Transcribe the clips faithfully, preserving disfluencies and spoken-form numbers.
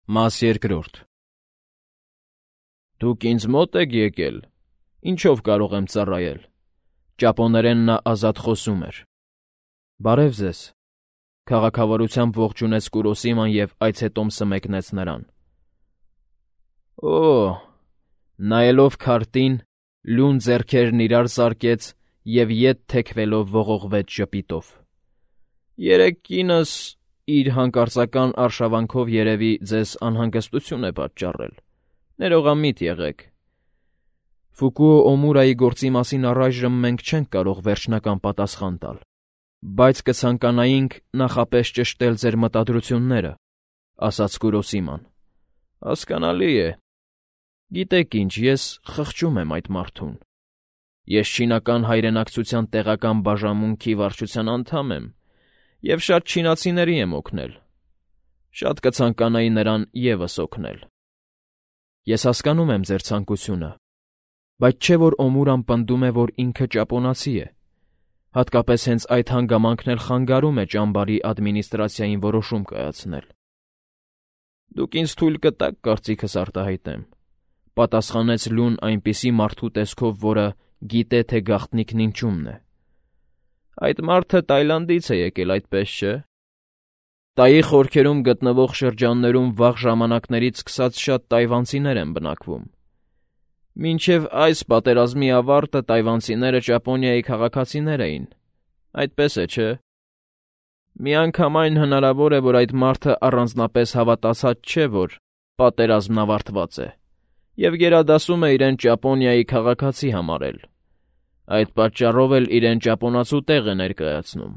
Մաս երկրորդ Դուք ինձ մոտ եք եկել, ինչով կարող եմ ծառայել, ճապոներեն նա ազատ խոսում էր։ Բարև ձեզ, քաղաքավարությամբ ողջունեց Կուրոսիման և այցետոմսը մեկնեց նրան։ Օ, նայելով քարտին, լուն ձեռքերն իրար սարկեց և ետ թեքվելով ողողվեց ժպիտով։ Երեկ կինս իր հանկարծական արշավանքով երևի ձեզ անհանգստություն է պատճառել, ներողամիտ եղեք։ Ֆուկուո Օմուրայի գործի մասին առայժմ մենք չենք կարող վերջնական պատասխան տալ, բայց կցանկանայինք նախապես ճշտել ձեր մտադրությունները, ասաց Կուրոսիման։ Հասկանալի է։ Գիտեք ինչ, ես խղճում եմ այդ մարդուն։ Ես չինական հայրենակցության տեղական բաժանմունքի վարչության անդամ եմ և շատ չինացիների եմ օգնել։ Շատ կցանկանայի նրան ևս օգնել։ Ես հասկանում եմ ձեր ցանկությունը, բայց չէ՞ որ Օմուրան պնդում է, որ ինքը ճապոնացի է, հատկապես հենց այդ հանգամանքն էլ խանգարում է ճամբարի ադմինիստրացիային որոշում կայացնել։ Դուք ինձ թույլ կտաք կարծիքս արտահայտեմ, պատասխանեց Լուն այնպիսի մարդու տեսքով, որը գիտե, թե գաղտնիքն ինչումն է։ Այդ մարդը Տայլանդից է եկել, այդպես չէ։ Տայի խորքերում գտնվող շրջաններում վաղ ժամանակներից սկսած շատ տայվանցիներ են բնակվում։ Մինչև այս պատերազմի ավարտը տայվանցիները Ճապոնիայի քաղաքացիներ էին, այդպես է, չէ։ Միանգամայն հնարավոր է, որ այդ մարդը առանձնապես հավատացած չէ, որ պատերազմն ավարտված է, և գերադասում է իրեն Ճապոնիայի քաղաքացի համարել։ Այդ պատճառով էլ իրեն ճապոնացու տեղ է ներկայացնում։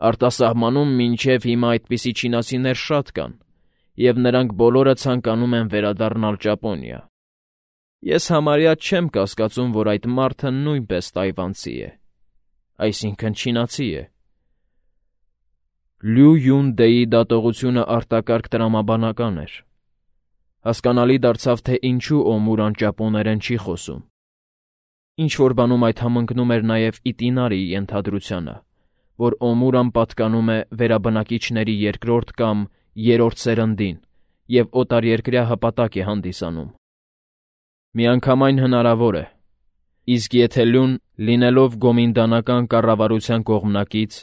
Արտասահմանում մինչև հիմա այդպիսի չինացիներ շատ կան, և նրանք բոլորը ցանկանում են վերադառնալ Ճապոնիա։ Ես համարյա չեմ կասկածում, որ այդ մարդը նույնպես տայվանցի է, այսինքն չինացի է։ Լյու Յուն Դեի դատողությունը արտակարգ տրամաբանական էր։ Հասկանալի դարձավ, թե ինչու Օմուրան ճապոներեն չի խոսում։ Ինչ-որ բանում այդ համընկնում էր նաև Իտինարիի ենթադրությանը, որ Օմուրան պատկանում է վերաբնակիչների երկրորդ կամ երրորդ սերնդին և օտարերկրյա հպատակ է հանդիսանում։ Միանգամայն հնարավոր է, իսկ եթե Լուն, լինելով գոմինդանական կառավարության կողմնակից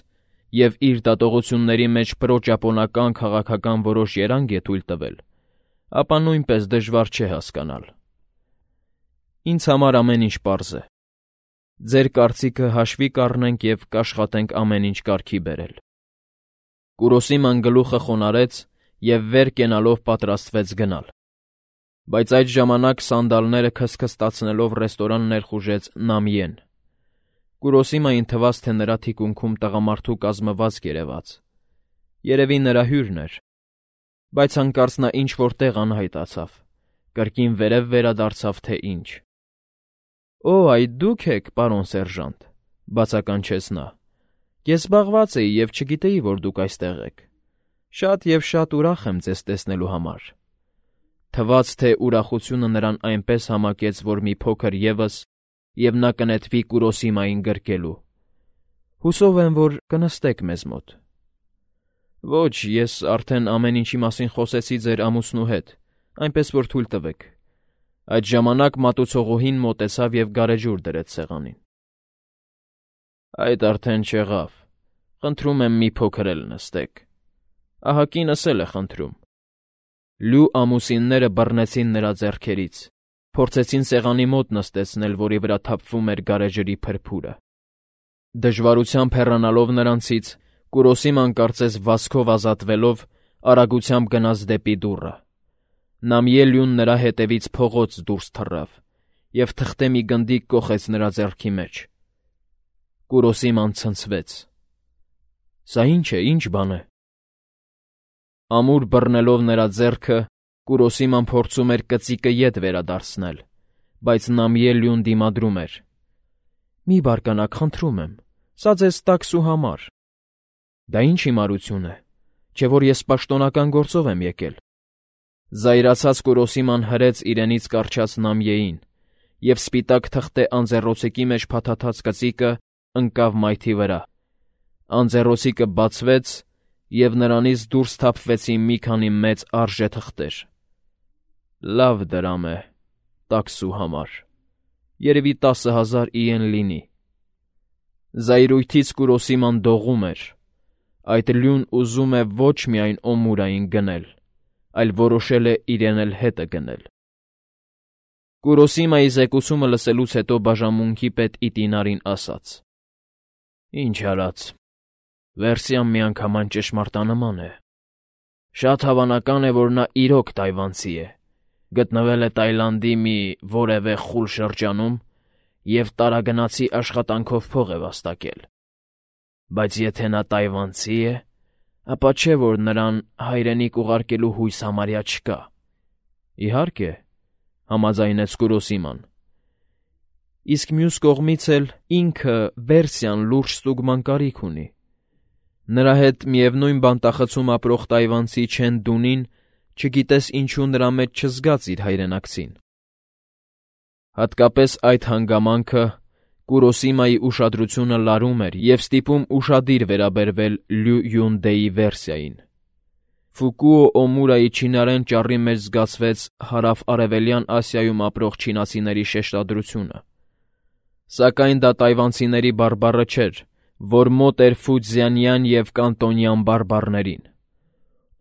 և իր դատողությունների մեջ պրոճապոնական քաղաքական որոշ երանգ է թույլ տվել, ապա նույնպես դժվար չէ հասկանալ։ Ինձ համար ամեն ինչ պարզ է։ Ձեր կարծիքը հաշվի կառնենք և կաշխատենք ամեն ինչ կարգի բերել։ Կուրոսիման գլուխը խոնարհեց և վեր կենալով պատրաստվեց գնալ։ Բայց այդ ժամանակ սանդալները քստքստացնելով ռեստորան ներխուժեց Նամիեն։ Կուրոսիմային թվաց, թե նրա թիկունքում տղամարդու կազմվածք երևաց։ Երևի նրա հյուրն էր, բայց հանկարծ նա ինչ-որ տեղ անհայտացավ, կրկին վերև վերադարձավ, թե ինչ։ Օ, այդ դուք եք, պարոն սերժանտ, բացականչեց նա։ Ես զբաղված էի և չգիտեի, որ դուք այստեղ եք։ Շատ և շատ ուրախ եմ ձեզ տեսնելու համար։ Թվաց, թե ուրախությունը նրան այնպես համակեց, որ մի փոքր ևս, և նա կնետվի Կուրոսիմային գրկելու։ Հուսով եմ, որ կնստեք մեզ մոտ։ Ոչ, ես արդեն ամեն ինչի մասին խոսեցի ձեր ամուսնու հետ, այնպես որ թույլ տվեք։ Այդ ժամանակ մատուցողուհին մոտեցավ և գարեջուր դրեց սեղանին։ Այդ արդեն չեղավ։ Խնդրում եմ մի փոքր էլ նստեք։ Ահա կինս էլ է խնդրում։ Լյու ամուսինները բռնեցին նրա ձեռքերից, փորձեցին սեղանի մոտ նստեցնել, որի վրա թափվում էր գարեջրի փրփուրը։ Դժվարությամբ հեռանալով նրանցից, Կուրոսիման կարծես վազքով ազատվելով, արագությամբ գնաց դեպի դուռը։ Նամիելյուն նրա հետևից փողոց դուրս թռավ և թղթե մի գնդիկ կոխեց նրա ձեռքի մեջ։ Կուրոսիման ցնցվեց։ Սա ի՞նչ է, ի՞նչ բան է։ Ամուր բռնելով նրա ձեռքը, Կուրոսիման փորձում էր կծիկը ետ վերադարձնել, բայց Նամիելյուն դիմադրում էր։ Մի բարկանաք, խնդրում եմ, սա ձեզ տաքսու համար։ Դա ինչ հիմարություն է, չէ՞ որ ես պաշտոնական գործով եմ եկել։ Զայրացած Կուրոսիման հրեց իրենից կառչած Նամիեին, և սպիտակ թղթե անձեռոցիկի մեջ փաթաթած կծիկը ընկավ մայթի վրա։ Անձեռոցիկը բացվեց, և նրանից դուրս թափվեցին մի քանի մեծ արժեթղթեր։ Լավ դրամ է, տաքսու համար, երևի տասը հազար իեն լինի։ Զայրույթից Կուրոսիման դողում էր, այդ լյուն ուզում է ոչ միայն Օմուրային գնել, այլ որոշել է իրեն էլ հետը գնել։ Կուրոսիմայի զեկուցումը լսելուց հետո բաժանմունքի պետ Իտինարին ասաց. «Ինչ արած, վերսիան միանգամայն ճշմարտանման է։ Շատ հավանական է, որ նա իրոք թայվանցի է, գտնվել է Տայլանդի մի որևէ խուլ շրջանում և տարագնացի աշխատանքով փող է վաստակել։ Բայց եթե նա տայվանցի է, ապա չէ՞ որ նրան հայրենիք ուղարկելու հույս համարյա չկա»։ «Իհարկե», համաձայնեց Կուրոսիման։ Իսկ մյուս կողմից էլ ինքը վերսիան լուրջ ստուգման կարիք ունի։ Նրա հետ միևնույն բանտախցում ապրող տայվանցի Չեն Դունին չգիտես ինչու նրա մեջ չզգաց իր հայրենակցին։ Հատկապես այդ հանգամանքը Կուրոսիմայի ուշադրությունը լարում էր և ստիպում ուշադիր վերաբերվել Լյու Յունդեի վերսիային։ Ֆուկուո Օմուրայի չինարեն ճառի մեջ զգացվեց հարավ-արևելյան Ասիայում ապրող չինացիների շեշտադրությունը։ Սակայն դա տայվանցիների բարբառը չէր, որ մոտ էր ֆուձյանյան և կանտոնյան բարբառներին։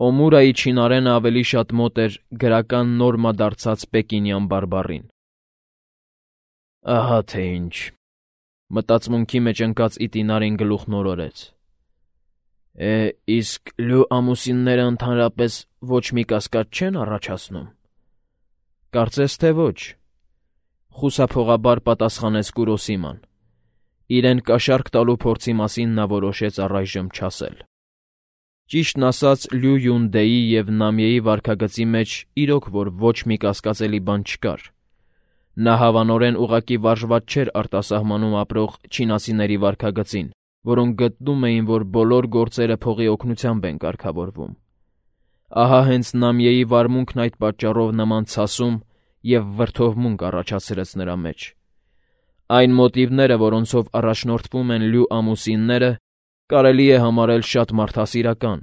Օմուրայի չինարենը ավելի շատ մոտ էր գրական նորմա դարձած պեկինյան բարբառին։ «Ահա թե ինչ», մտածմունքի մեջ ընկած Իտինարին գլուխն օրորեց։ «Է, իսկ լյու ամուսինները ընդհանրապես ոչ մի կասկած չեն առաջացնում»։ «Կարծես թե ոչ», խուսափողաբար պատասխանեց Կուրոսիման։ Իրեն կաշառք տալու փորձի մասին նա որոշեց առայժմ չասել։ Ճիշտն ասած, Լյու Յունդեի և Նամիեի վարքագծի մեջ իրոք որ ոչ մի կասկածելի բան չկար։ Նա հավանորեն ուղղակի վարժված չէր արտասահմանում ապրող չինացիների վարքագծին, որոնք գտնում էին, որ բոլոր գործերը փողի օգնությամբ են կարգավորվում։ Ահա հենց Նամիեի վարմունքն այդ պատճառով նման ցասում և վրդովմունք առաջացրեց նրա մեջ։ Այն մոտիվները, որոնցով առաջնորդվում են լյու ամուսինները, կարելի է համարել շատ մարդասիրական,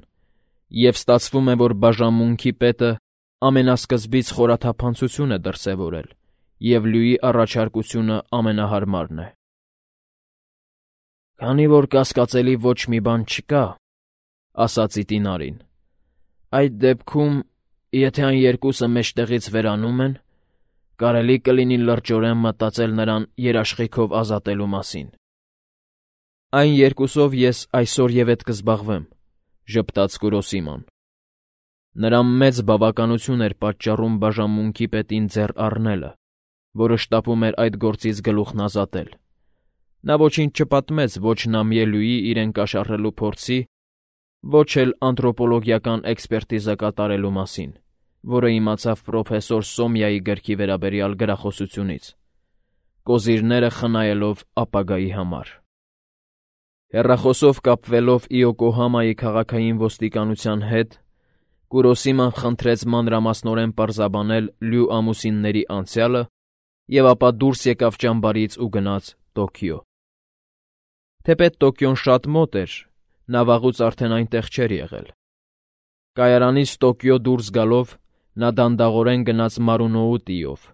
և ստացվում է, որ բաժանմունքի պետը ամենասկզբից խորաթափանցություն է դրսևորել, և լյուի առաջարկությունը ամենահարմարն է։ «Քանի որ կասկածելի ոչ մի բան չկա», ասաց Իտինարին, «այդ դեպքում, եթե այն երկուսը մեջտեղից վերանում են, կարելի կլինի լրջորեն մտածել նրան երաշխիքով ազատելու մասին»։ «Այն երկուսով ես այսօր և էդ կզբաղվեմ», ժպտաց Կուրոսիման։ Նրան մեծ բավականություն էր պատճառում բաժանմունքի պետին ձեռ առնելը, որը շտապում էր այդ գործից գլուխն ազատել։ Նա ոչինչ չպատմեց ոչ Նամիե-լյուի իրեն կաշառելու փորձի, ոչ էլ անթրոպոլոգիական էքսպերտիզա կատարելու մասին, որը իմացավ պրոֆեսոր Սոմյայի գրքի վերաբերյալ գրախոսությունից, կոզիրները խնայելով ապագայի համար։ Հեռախոսով կապվելով Իոկոհամայի քաղաքային ոստիկանության հետ, Կուրոսիման խնդրեց մանրամասնորեն պարզաբանել լյու ամուսինների անցյալը և ապա դուրս եկավ ճամբարից ու գնաց Տոկիո։ Թեպետ Տոկիոն շատ մոտ էր, նա վաղուց արդեն այնտեղ չէր եղել։ Կայարանից Տոկիո դուրս գալով նա դանդաղորեն գնաց Մարունոուտիով։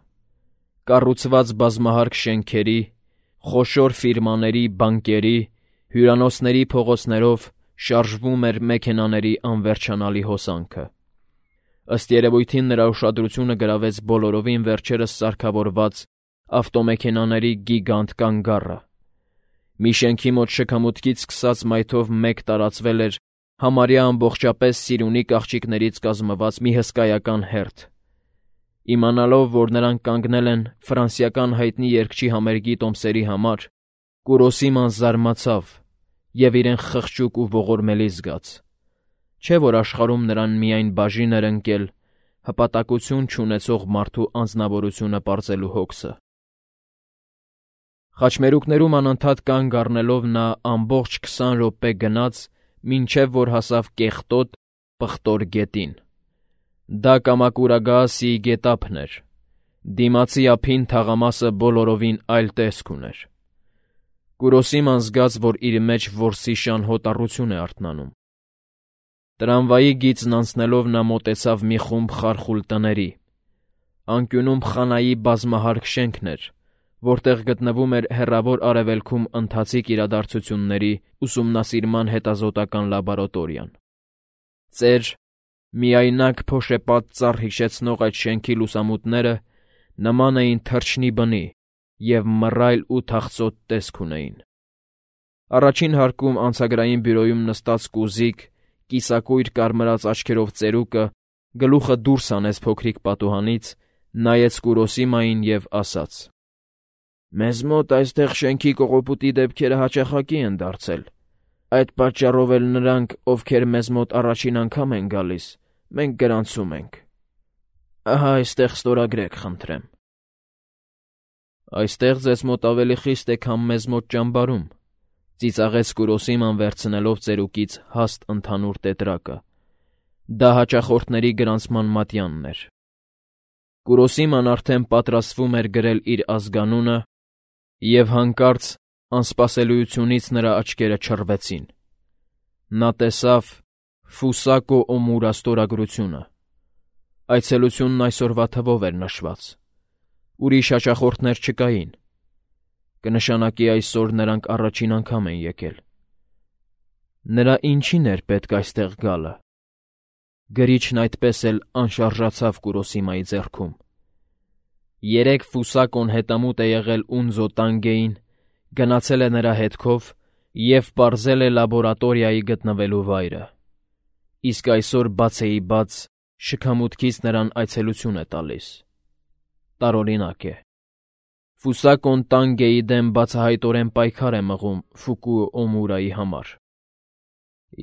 Կառուցված բազմահարկ շենքերի, խոշոր ֆիրմաների, բանկերի, հյուրանոցների փողոցներով շարժվում էր մեքենաների անվերջանալի հոսանքը։ Ըստ երևույթին նրա ուշադրությունը գրավեց բոլորովին վերջերս սարքավորված ավտոմեքենաների գիգանտ կանգառը։ Մի շենքի մոտ շքամուտքից սկսած մայթով մեկ տարածվել էր համարյա ամբողջապես սիրունի կաղճիկներից կազմված մի հսկայական հերթ։ Իմանալով, որ նրանք կանգնել են ֆրանսիական հայտնի երգչի համերգի տոմսերի համար, Կուրոսիման զարմացավ և իրեն խղճուկ ու ողորմելի զգաց։ Չէ՞ որ աշխարհում նրան միայն բաժին էր ընկել հպատակություն չունեցող մարդու անձնավորությունը պարզելու հոգսը։ Խաչմերուկներում անընդհատ կանգ առնելով նա ամբողջ քսան րոպե գնաց, մինչև որ հասավ կեղտոտ, պղտոր գետին։ Դա Կամակուրագաասիի գետափն էր։ Դիմացի ափին թաղամասը բոլորովին այլ տեսք ուներ։ Կուրոսիման զգաց, որ իր մեջ որսի շան հոտառություն է արթնանում։ Տրամվայի գիծն անցնելով նա մոտեցավ մի խումբ խարխուլ տների։ Անկյունում Խանայի բազմահարկ շենքն էր, որտեղ գտնվում էր հեռավոր արևելքում ընթացիկ իրադարձությունների ուսումնասիրման հետազոտական լաբորատորիան։ Ծեր, միայնակ փոշեպատ ծառ հիշեցնող այդ շենքի լուսամուտները նման էին թռչնի բնի և մռայլ ու թախծոտ տեսք ունեին։ Առաջին հարկում անցագրային բյուրոյում նստած կուզիկ, կիսակույր կարմրած աչքերով ծերուկը գլուխը դուրս հանեց փոքրիկ պատուհանից, նայեց Կուրոսիմային և ասաց. «Մեզ մոտ այստեղ շենքի կողոպուտի դեպքերը հաճախակի են դարձել, այդ պատճառով էլ նրանք, ովքեր մեզ մոտ առաջին անգամ են գալիս, մենք գրանցում ենք։ Ահա այստեղ ստորագրեք, խնդրեմ»։ «Այստեղ ձեզ մոտ ավելի խիստ է, քան մեզ մոտ ճամբարում», ծիծաղեց Կուրոսիման վերցնելով ծերուկից հաստ ընդհանուր տետրակը։ Դա հաճախորդների գրանցման մատյանն էր։ Կուրոսիման արդեն պատրաստվում էր գրել իր ազգանունը, և հանկարծ անսպասելիությունից նրա աչքերը չռվեցին։ Նա տեսավ Ֆուսակո Օմուրա ստորագրությունը։ Այցելությունն այսօրվա թվով էր նշված։ Ուրիշ հաճախորդներ չկային։ Կնշանակի այսօր նրանք առաջին անգամ են եկել։ Նրա ինչին էր պետք այստեղ գալը։ Գրիչն այդպես էլ անշարժացավ Կուրոսիմայի ձեռքում։ Երեկ Ֆուսակոն հետամուտ է եղել Ունզո Տանգեին, գնացել է նրա հետքով և պարզել է լաբորատորիայի գտնվելու վայրը։ Իսկ այսօր բացեի բաց շքամուտքից նրան այցելություն է տալիս։ Տարօրինակ է։ Ֆուսակոն Տանգեի դեմ բացահայտորեն պայքար է մղում Ֆուկուո Օմուրայի համար։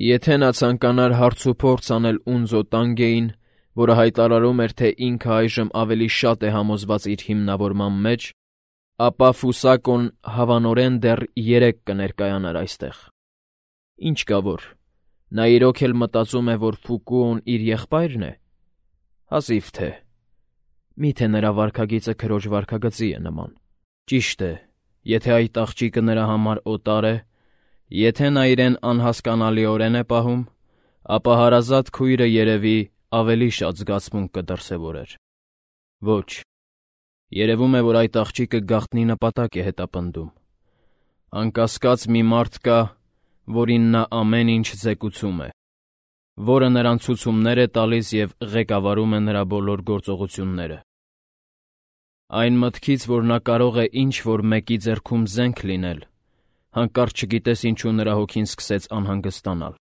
Եթե նա ցանկանար հարցուփորձ անել Ունզո Տանգեին, որը հայտարարում էր, թե ինքը այժմ ավելի շատ է համոզված իր հիմնավորման մեջ, ապա Ֆուսակոն հավանորեն դեռ երեկ կներկայանար այստեղ։ Ինչ կա որ, նա իրոք էլ մտածում է, որ Ֆուկուոն իր եղբայրն է։ Հազիվ թե։ Մի՞թե նրա վարքագիծը քրոջ վարքագծի է նման։ Ճիշտ է, եթե այդ աղջիկը նրա համար օտար է, եթե նա իրեն անհասկանալիորեն է պահում, ապա հարազատ քույրը երևի ավելի շատ զգացմունք կդրսևորեր։ Ոչ, երևում է, որ այդ աղջիկը գաղտնի նպատակ է հետապնդում։ Անկասկած մի մարդ կա, որին նա ամեն ինչ ձեկուցում է, որը նրան ցուցումներ է տալիս և ղեկավարում է նրա բոլոր գործողությունները։ Այն մտքից, որ նա կարող է ինչ-որ մեկի ձեռքում զենք լինել, հանկարծ չգիտես ինչու նրա հոգին սկսեց անհանգստանալ։